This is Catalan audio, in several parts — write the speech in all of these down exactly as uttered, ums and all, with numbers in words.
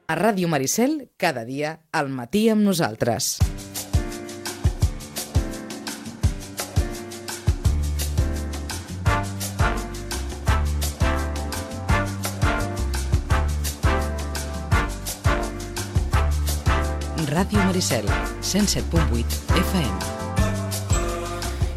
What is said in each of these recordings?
A Ràdio Maricel, cada dia, al matí amb nosaltres. Ràdio Maricel, cent set punt vuit F M.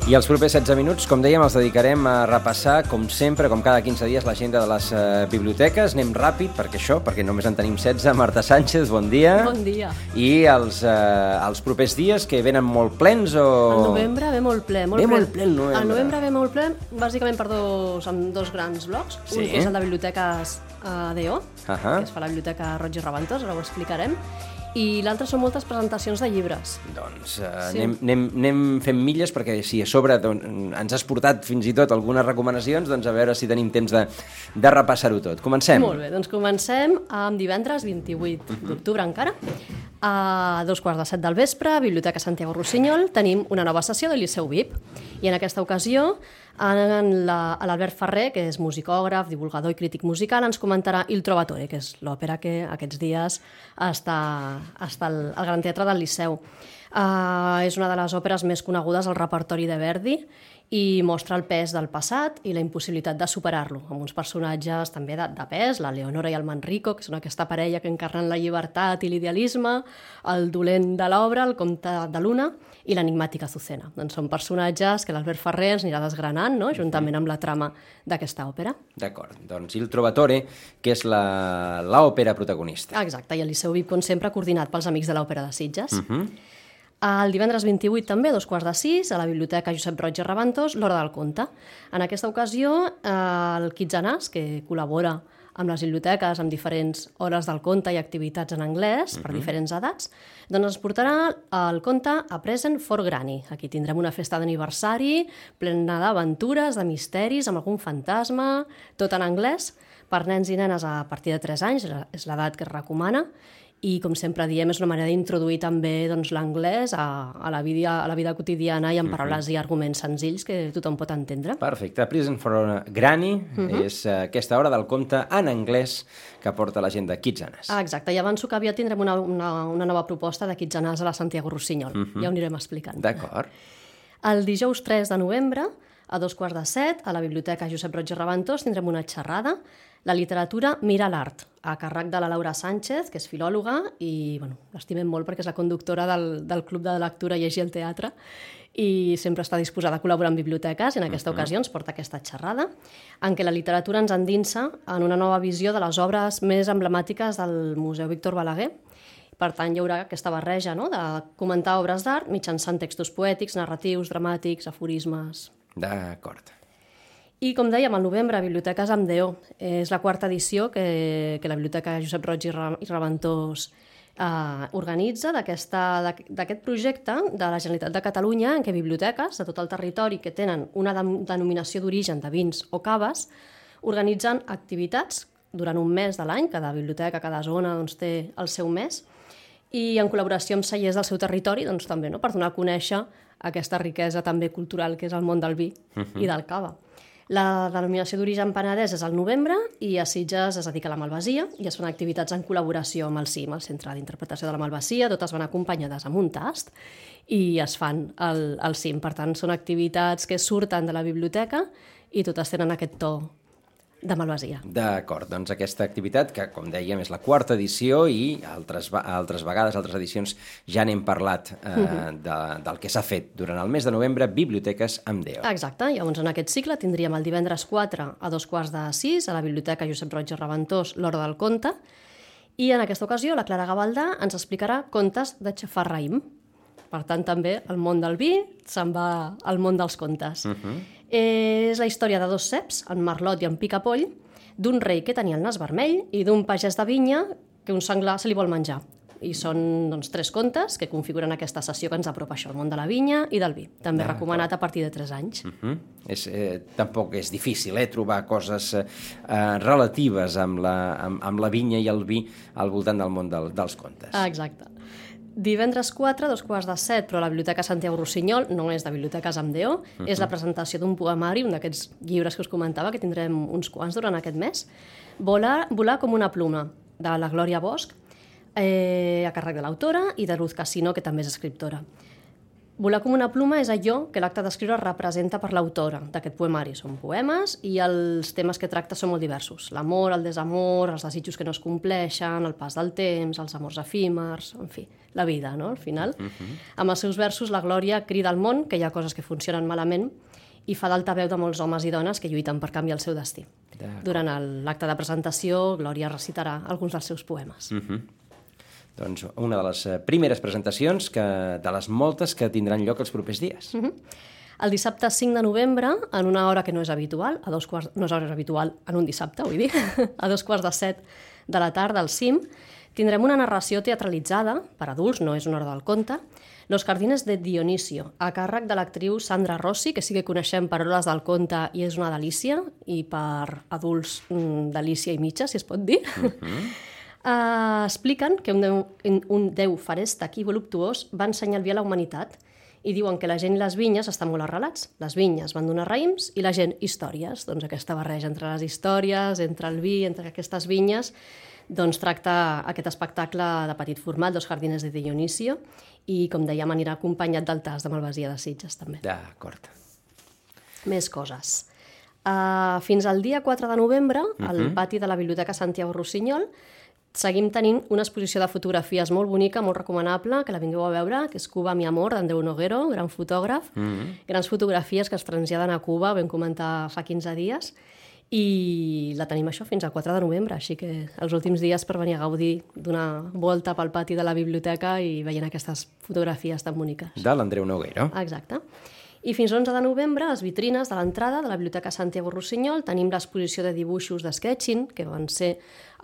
I els propers setze minuts, com dèiem, els dedicarem a repassar, com sempre, com cada quinze dies, l'agenda de les uh, biblioteques. Anem ràpid, perquè això, perquè només en tenim setze. Marta Sánchez, bon dia. Bon dia. I els, uh, els propers dies, que venen molt plens o...? El novembre ve molt ple. Molt ve ple. molt ple el novembre. El novembre ve molt ple, bàsicament per dos, amb dos grans blocs. Sí. Un que és el de biblioteques uh, D O, uh -huh. que es fa a la Biblioteca Roig i Reventós, ara ho explicarem. I l'altre són moltes presentacions de llibres. Doncs uh, Sí. anem, anem, anem fent milles, perquè si a sobre doncs, ens has portat fins i tot algunes recomanacions, doncs a veure si tenim temps de, de repassar-ho tot. Comencem. Molt bé, doncs comencem amb divendres vint-i-vuit d'octubre encara. A dos quarts de set del vespre, a Biblioteca Santiago Rossinyol, tenim una nova sessió del Liceu V I P. I en aquesta ocasió, en la, l'Albert Ferrer, que és musicògraf, divulgador i crític musical, ens comentarà Il Trovatore, que és l'òpera que aquests dies està, està al, al Gran Teatre del Liceu. Uh, és una de les òperes més conegudes al repertori de Verdi i mostra el pes del passat i la impossibilitat de superar-lo, amb uns personatges també de, de pes, la Leonora i el Manrico, que són aquesta parella que encarnen la llibertat i l'idealisme, el dolent de l'obra, el comte de Luna i l'enigmàtica Azucena. Doncs són personatges que l'Albert Ferrer ens anirà desgranant, no?, juntament amb la trama d'aquesta òpera. D'acord, doncs Il Trovatore, que és la, l'òpera protagonista. Exacte, i el Liceu V I P, com sempre, coordinat pels Amics de l'Òpera de Sitges. Uh -huh. El divendres vint-i-vuit també, a dos quarts de sis, a la Biblioteca Josep Roig i Reventós, l'Hora del Conte. En aquesta ocasió, el Kitsanàs, que col·labora amb les biblioteques, amb diferents hores del conte i activitats en anglès, uh-huh. per diferents edats, doncs ens portarà el conte A Present for Granny. Aquí tindrem una festa d'aniversari plena d'aventures, de misteris, amb algun fantasma, tot en anglès, per nens i nenes a partir de tres anys, és l'edat que es recomana, i, com sempre diem, és una manera d'introduir també doncs, l'anglès a, a, la vida, a la vida quotidiana i amb paraules uh-huh. i arguments senzills que tothom pot entendre. Perfecte. Present for Granny uh-huh. és uh, aquesta hora del conte en anglès que porta la gent de Kitsanàs. Ah, exacte. I avanço que aviat tindrem una, una, una nova proposta de Kitsanàs a la Santiago Rossinyol. Uh-huh. Ja ho anirem explicant. D'acord. El dijous tres de novembre, a dos quarts de set, a la Biblioteca Josep Roig i Reventós, tindrem una xerrada, La literatura mira l'art, a càrrec de la Laura Sánchez, que és filòloga i bueno, l'estimem molt perquè és la conductora del, del Club de Lectura Llegir al Teatre i sempre està disposada a col·laborar amb biblioteques i en aquesta uh-huh. ocasió ens porta aquesta xerrada en què la literatura ens endinsa en una nova visió de les obres més emblemàtiques del Museu Víctor Balaguer. Per tant, hi haurà aquesta barreja, no?, de comentar obres d'art mitjançant textos poètics, narratius, dramàtics, aforismes... D'acord. I, com dèiem, al novembre, Biblioteques amb D O. És la quarta edició que, que la Biblioteca Josep Roig i Reventós eh, organitza d'aquest projecte de la Generalitat de Catalunya en què biblioteques de tot el territori que tenen una denominació d'origen de vins o caves organitzen activitats durant un mes de l'any. Cada biblioteca, cada zona doncs, té el seu mes i en col·laboració amb cellers del seu territori doncs, també, no?, per donar a conèixer aquesta riquesa també cultural que és el món del vi uh-huh. i del cava. La denominació d'origen Penedès és al novembre i a Sitges es dedica a la Malvasia i es fan activitats en col·laboració amb el C I M, el Centre d'Interpretació de la Malvasia, totes van acompanyades amb un tast i es fan al, al C I M. Per tant, són activitats que surten de la biblioteca i totes tenen aquest to de Malvasia. D'acord, doncs aquesta activitat, que com dèiem és la quarta edició i altres, altres vegades, altres edicions, ja n'hem parlat eh, uh-huh. de, del que s'ha fet durant el mes de novembre, Biblioteques amb D O. Exacte, llavors en aquest cicle tindríem el divendres quatre a dos quarts de sis a la Biblioteca Josep Roig i Reventós, l'Hora del Conte, i en aquesta ocasió la Clara Gavaldà ens explicarà contes de xafar raïm. Per tant, també el món del vi se'n va al món dels contes. Uh-huh. És la història de dos ceps, en Marlot i en Picapoll, d'un rei que tenia el nas vermell i d'un pagès de vinya que un senglar se li vol menjar. I són doncs, tres contes que configuren aquesta sessió que ens apropa això, el món de la vinya i del vi. També ah, recomanat a partir de tres anys. Uh-huh. és, eh, tampoc és difícil eh, trobar coses eh, relatives amb la, amb, amb la vinya i el vi al voltant del món del, dels contes. Ah, exacte. Divendres quatre, dos quarts de set, però a la Biblioteca Santiago Rossinyol, no és de Biblioteques amb D O, uh-huh. és la presentació d'un poemari, un d'aquests llibres que us comentava, que tindrem uns quants durant aquest mes. Volar, volar com una pluma, de la Glòria Bosch, eh, a càrrec de l'autora, i de Ruth Cassino, que també és escriptora. Volar com una pluma és allò que l'acte d'escriure representa per l'autora d'aquest poemari. Són poemes i els temes que tracta són molt diversos. L'amor, el desamor, els desitjos que no es compleixen, el pas del temps, els amors efímers, en fi, la vida, no?, al final. Uh-huh. Amb els seus versos, la Glòria crida al món que hi ha coses que funcionen malament i fa d'altaveu de molts homes i dones que lluiten per canviar el seu destí. Durant l'acte de presentació, Glòria recitarà alguns dels seus poemes. Uh-huh. Doncs una de les primeres presentacions que, de les moltes que tindran lloc els propers dies. Uh-huh. El dissabte cinc de novembre, en una hora que no és habitual, a dos quarts, no és hora habitual en un dissabte, vull dir, a dos quarts de set de la tarda al C I M, tindrem una narració teatralitzada, per adults, no és una hora del conte, Los jardines de Dionisio, a càrrec de l'actriu Sandra Rossi, que sí que coneixem per hores del conte i és una delícia, i per adults mm, delícia i mitja, si es pot dir. Uh-huh. Uh, expliquen que un déu, un déu farèstec i voluptuós va ensenyar el vi a la humanitat i diuen que la gent i les vinyes estan molt arrelats. Les vinyes van donar raïms i la gent històries. Doncs aquesta barreja entre les històries, entre el vi, entre aquestes vinyes, doncs tracta aquest espectacle de petit format, Los jardines de Dionisio, i, com dèiem, anirà acompanyat del tas de Malvasia de Sitges, també. D'acord. Més coses. Uh, fins al dia quatre de novembre, uh-huh. al pati de la Biblioteca Santiago Rossinyol, seguim tenint una exposició de fotografies molt bonica, molt recomanable, que la vingueu a veure, que és Cuba, mi amor, d'Andreu Noguero, gran fotògraf. Mm-hmm. Grans fotografies que es traslladen a Cuba, ho vam comentar fa quinze dies, i la tenim això fins al quatre de novembre, així que els últims dies per venir a gaudir d'una volta pel pati de la biblioteca i veient aquestes fotografies tan boniques. De l'Andreu Noguero. Exacte. I fins l'onze de novembre, a les vitrines de l'entrada de la Biblioteca Santiago Rossinyol, tenim l'exposició de dibuixos de sketching, que van ser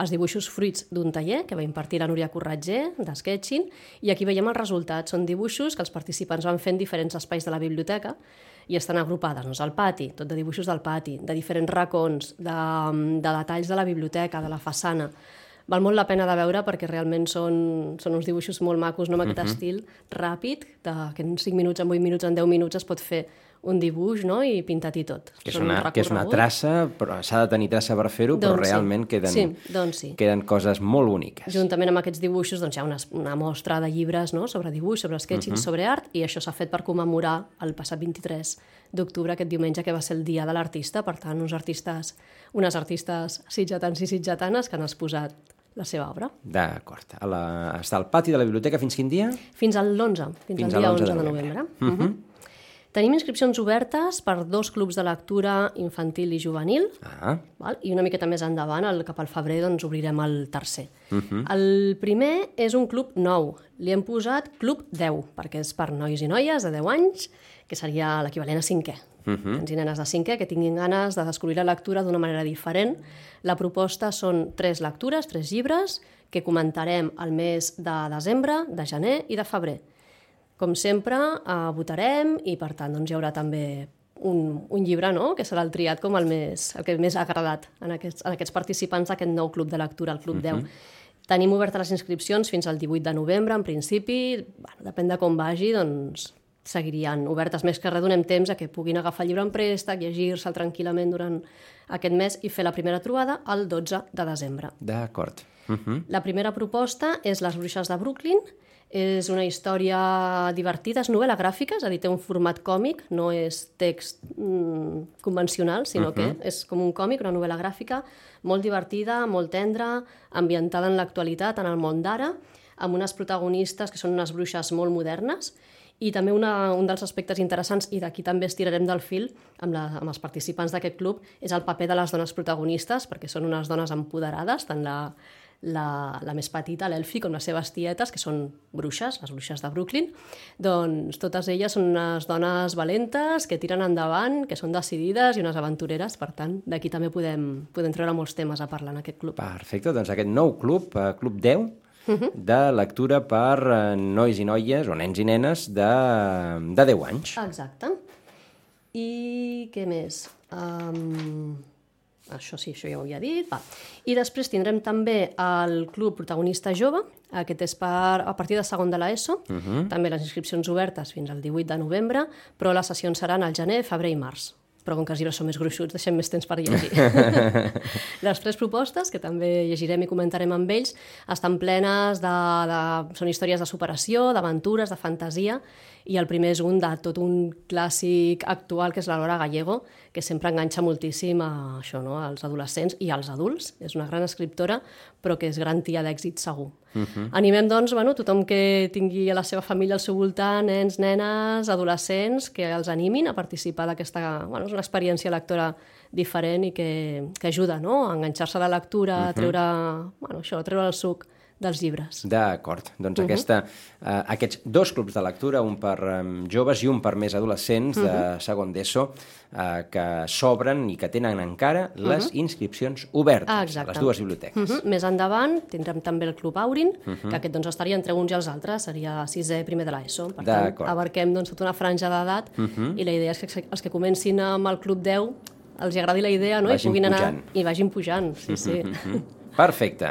els dibuixos fruits d'un taller que va impartir la Núria Corretger, de sketching, i aquí veiem els resultats. Són dibuixos que els participants van fer en diferents espais de la biblioteca i estan agrupades, doncs, al pati, tot de dibuixos del pati, de diferents racons, de, de detalls de la biblioteca, de la façana. Val molt la pena de veure perquè realment són, són uns dibuixos molt macos, no amb aquest uh-huh. estil ràpid, de, que en cinc minuts, en vuit minuts, en deu minuts es pot fer un dibuix, no?, i pintat-hi tot. Que és, una, que és una traça, però s'ha de tenir traça per fer-ho, doncs però realment sí. queden, sí, doncs sí. queden coses molt boniques. Juntament amb aquests dibuixos doncs, hi ha una, una mostra de llibres, no?, sobre dibuix, sobre sketching, uh-huh. sobre art, i això s'ha fet per commemorar el passat vint-i-tres d'octubre, aquest diumenge, que va ser el dia de l'artista. Per tant, uns artistes, unes artistes sitgetans i sitgetanes que han exposat la seva obra. D'acord. La... Està al pati de la biblioteca fins quin dia? Fins al l'onze, fins, fins al dia onze de novembre. Uh-huh. Uh-huh. Tenim inscripcions obertes per dos clubs de lectura infantil i juvenil, ah. val? I una miqueta més endavant, el, cap al febrer, doncs obrirem el tercer. Uh-huh. El primer és un club nou. Li hem posat Club deu, perquè és per nois i noies de deu anys, que seria l'equivalent a cinquè. Uh-huh. Nens i nenes de cinquè que tinguin ganes de descobrir la lectura d'una manera diferent. La proposta són tres lectures, tres llibres, que comentarem el mes de desembre, de gener i de febrer. Com sempre, eh, votarem i, per tant, doncs, hi haurà també un, un llibre, no?, que serà el triat com el, més, el que més ha agradat en aquests, en aquests participants d'aquest nou club de lectura, el Club uh-huh. deu. Tenim obertes les inscripcions fins al divuit de novembre, en principi. Bueno, depèn de com vagi, doncs seguirien obertes, més que res donem temps a que puguin agafar el llibre en préstec, llegir-se'l tranquil·lament durant aquest mes i fer la primera trobada el dotze de desembre. D'acord. Uh-huh. La primera proposta és Les bruixes de Brooklyn. És una història divertida, és novel·la gràfica, és a dir, té un format còmic, no és text mm, convencional, sinó uh-huh. que és com un còmic, una novel·la gràfica, molt divertida, molt tendra, ambientada en l'actualitat, en el món d'ara, amb unes protagonistes que són unes bruixes molt modernes. I també una, un dels aspectes interessants, i d'aquí també estirarem del fil amb, la, amb els participants d'aquest club, és el paper de les dones protagonistes, perquè són unes dones empoderades, tant la, la, la més petita, l'Elfi, com les seves tietes, que són bruixes, les bruixes de Brooklyn. Doncs totes elles són unes dones valentes, que tiren endavant, que són decidides i unes aventureres. Per tant, d'aquí també podem, podem treure molts temes a parlar en aquest club. Perfecte, doncs aquest nou club, Club deu, Uh-huh. de lectura per uh, nois i noies, o nens i nenes, de, de deu anys. Exacte. I què més? Um, això sí, això ja ho havia dit. Va. I després tindrem també el Club Protagonista Jove, aquest és per, a partir de segon de l'ESO, uh-huh. també les inscripcions obertes fins al divuit de novembre, però les sessions seran al gener, febrer i març. però com que els llibres són més gruixuts, deixem més temps per llegir. Les tres propostes, que també llegirem i comentarem amb ells, estan plenes de... de són històries de superació, d'aventures, de fantasia, i el primer és un de tot un clàssic actual, que és la Laura Gallego, que sempre enganxa moltíssim a això, no? Als adolescents i als adults. És una gran escriptora, però que és garantia d'èxit segur. Uh-huh. Animem, doncs, bueno, tothom que tingui a la seva família al seu voltant, nens, nenes, adolescents, que els animin a participar d'aquesta... Bueno, és una experiència lectora diferent i que, que ajuda, no? A enganxar-se a la lectura, uh-huh. a treure, bueno, això, a treure el suc dels llibres. D'acord. Doncs uh-huh. aquesta, uh, aquests dos clubs de lectura, un per um, joves i un per més adolescents uh-huh. de segon d'ESO, uh, que s'obren i que tenen encara les uh-huh. inscripcions obertes ah, a les dues biblioteques. Uh-huh. Més endavant tindrem també el Club Aurin, uh-huh. que aquest doncs, estaria entre uns i els altres, seria sisè primer de l'ESO. Per tant, abarquem doncs, tota una franja d'edat uh-huh. i la idea és que els que comencin amb el Club deu els agradi la idea, no? I puguin anar i vagin pujant. Sí, sí. Uh-huh. Perfecte.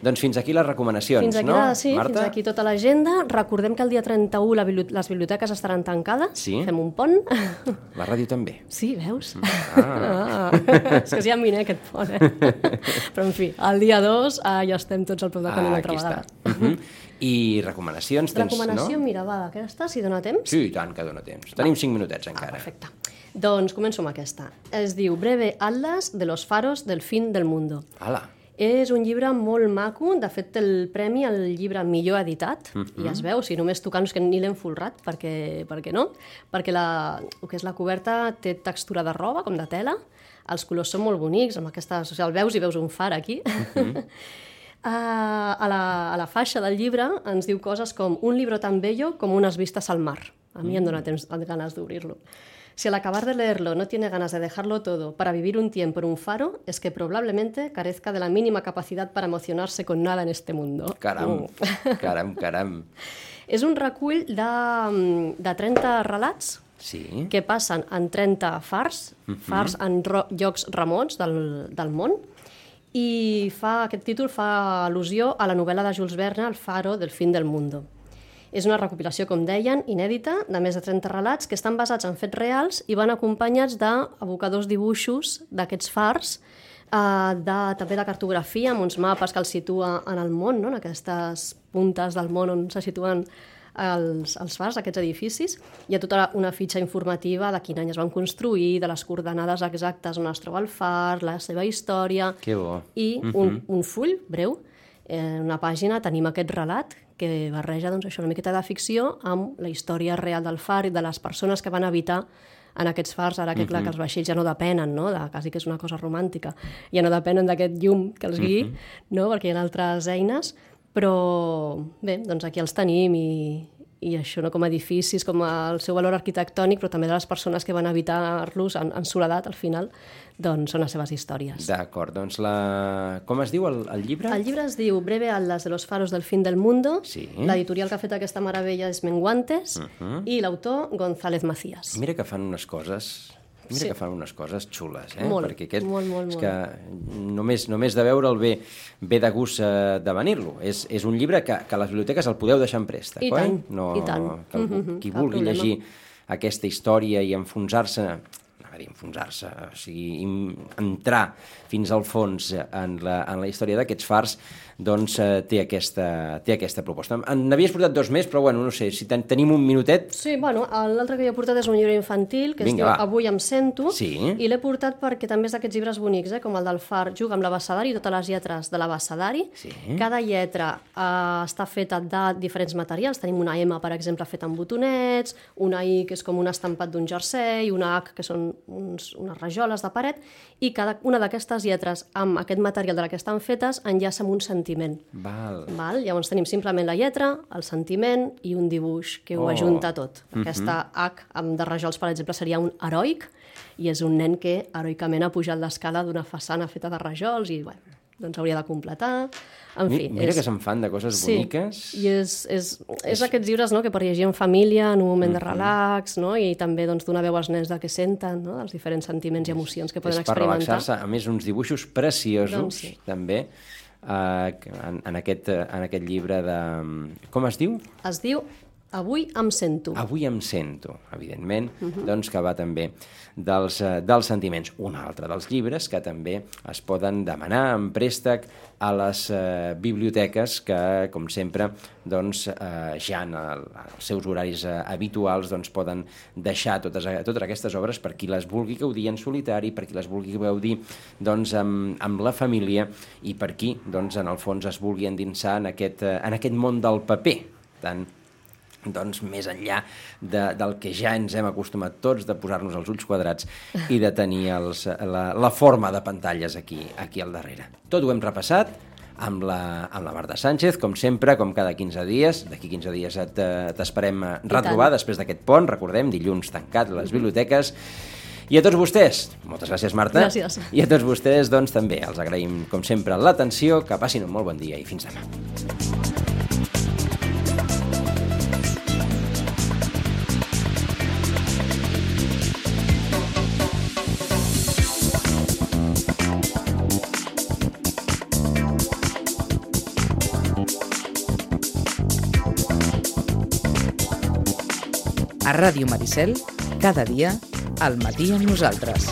Doncs fins aquí les recomanacions, fins aquí, no, sí, Marta? Fins aquí tota l'agenda. Recordem que el dia trenta-u la bibli- les biblioteques estaran tancades. Sí. Fem un pont. La ràdio també. Sí, veus? Ah. ah. És que és ja mine aquest pont, eh? Però, en fi, el dia dos ah, ja estem tots al peu de camí ah, altra vegada. Uh -huh. I recomanacions tens, Recomanació, no? mira, va, aquesta, si dona temps. Sí, i tant, que dona temps. Tenim cinc minutets encara. Ah, perfecte. Doncs començo amb aquesta. Es diu Breve Atlas de los faros del fin del mundo. Ala. És un llibre molt maco, de fet té el premi al llibre millor editat, uh -huh. i es veu, si només tocant és que ni l'hem folrat, perquè, perquè no, perquè la, el que és la coberta té textura de roba, com de tela, els colors són molt bonics, amb aquesta, o sigui, el veus i veus un far aquí. Uh -huh. a, a, la, a la faixa del llibre ens diu coses com un libro tan bello com unes vistes al mar. A mi mm. em dóna temps, ganes d'obrir-lo. Si al acabar de leerlo no tiene ganas de dejarlo todo para vivir un tiempo en un faro, es que probablemente carezca de la mínima capacidad para emocionarse con nada en este mundo. Caram, uh. caram, caram. És un recull de, de trenta relats sí. que passen en trenta fars, uh-huh. fars en ro- llocs remots del, del món, i fa, aquest títol fa al·lusió a la novel·la de Jules Verne, El faro del fin del mundo. És una recopilació, com deien, inèdita, de més de trenta relats que estan basats en fets reals i van acompanyats d'abocadors dibuixos d'aquests fars, eh, de, també de cartografia, amb uns mapes que els situa en el món, no? En aquestes puntes del món on se situen els, els fars, aquests edificis. Hi ha tota una fitxa informativa de quin any es van construir, de les coordenades exactes on es troba el far, la seva història... Que bo. I uh-huh. un, un full breu, en una pàgina tenim aquest relat que barreja doncs, això, una miqueta de ficció amb la història real del far i de les persones que van habitar en aquests fars, ara que, clar, que els vaixells ja no depenen, no? De, quasi que és una cosa romàntica, ja no depenen d'aquest llum que els guiï, no? Perquè hi ha altres eines, però bé, doncs aquí els tenim i, i això, no? Com a edificis, com el seu valor arquitectònic, però també de les persones que van habitar-los en, en soledat, al final, doncs són les seves històries. D'acord, doncs la... com es diu el, el llibre? El llibre es diu Breve Atlas de los faros del fin del mundo. Sí. L'editorial que ha fet aquesta meravella és Menguantes uh-huh. i l'autor González Macías. Mira que fan unes coses... Mira sí. que fan unes coses xules, eh? Molt, perquè aquest, molt, molt, és molt. que només, només de veure'l ve, ve de gust eh, de venir-lo. És, és un llibre que, que a les biblioteques el podeu deixar en préstec, I oi? tant, no, i tant. Que algú, Mm-hmm, qui cap vulgui problema. llegir aquesta història i enfonsar-se, anava a dir enfonsar-se, o sigui, im, entrar fins al fons en la, en la història d'aquests fars, doncs eh, té, aquesta, té aquesta proposta. En n'havies portat dos més, però bueno, no sé, si ten, tenim un minutet... Sí, bueno, l'altre que jo he portat és un llibre infantil, que Vinga, es diu va. Avui em sento, Sí. i l'he portat perquè també és d'aquests llibres bonics, eh, com el del far, juga amb l'abecedari i totes les lletres de l'abecedari. Sí. Cada lletra eh, està feta de diferents materials. Tenim una M, per exemple, feta amb botonets, una I, que és com un estampat d'un jersei, una H, que són uns, unes rajoles de paret, i cada una d'aquestes lletres, amb aquest material de la que estan fetes, enllaça amb un sentiment. Val. Val? Llavors tenim simplement la lletra, el sentiment i un dibuix que ho Oh. ajunta tot. Aquesta H amb de rajols, per exemple, seria un heroic, i és un nen que heroicament ha pujat l'escala d'una façana feta de rajols i, bueno, doncs hauria de completar. En Mi- fi, Mira és... que se'n fan de coses Sí, boniques. i és, és, és aquests llibres, no?, que per llegir en família, en un moment de relax, no?, i també doncs, donar veu als nens del que senten, no?, dels diferents sentiments i emocions que poden És per experimentar. relaxar-se, a més uns dibuixos preciosos, Doncs sí. també, eh, en, en, aquest, en aquest llibre de... Com es diu? Es diu Avui em sento. Avui em sento, evidentment, uh-huh. doncs que va també dels, uh, dels sentiments. Un altre dels llibres que també es poden demanar en préstec a les uh, biblioteques que, com sempre, doncs, uh, ja en el, els seus horaris uh, habituals doncs, poden deixar totes, totes aquestes obres per qui les vulgui gaudir en solitari, per qui les vulgui gaudir doncs, amb, amb la família i per qui, doncs, en el fons, es vulgui endinsar en aquest, uh, en aquest món del paper, tant doncs més enllà de, del que ja ens hem acostumat tots, de posar-nos els ulls quadrats i de tenir els, la, la forma de pantalles aquí, aquí al darrere. Tot ho hem repassat amb la, amb la Marta Sánchez, com sempre, com cada quinze dies. D'aquí quinze dies et, t'esperem retrobar després d'aquest pont. Recordem, dilluns tancat a les biblioteques. I a tots vostès, moltes gràcies, Marta. Gràcies. I a tots vostès, doncs, també els agraïm, com sempre, l'atenció, que passin un molt bon dia i fins demà. A Ràdio Maricel, cada dia, al matí amb nosaltres.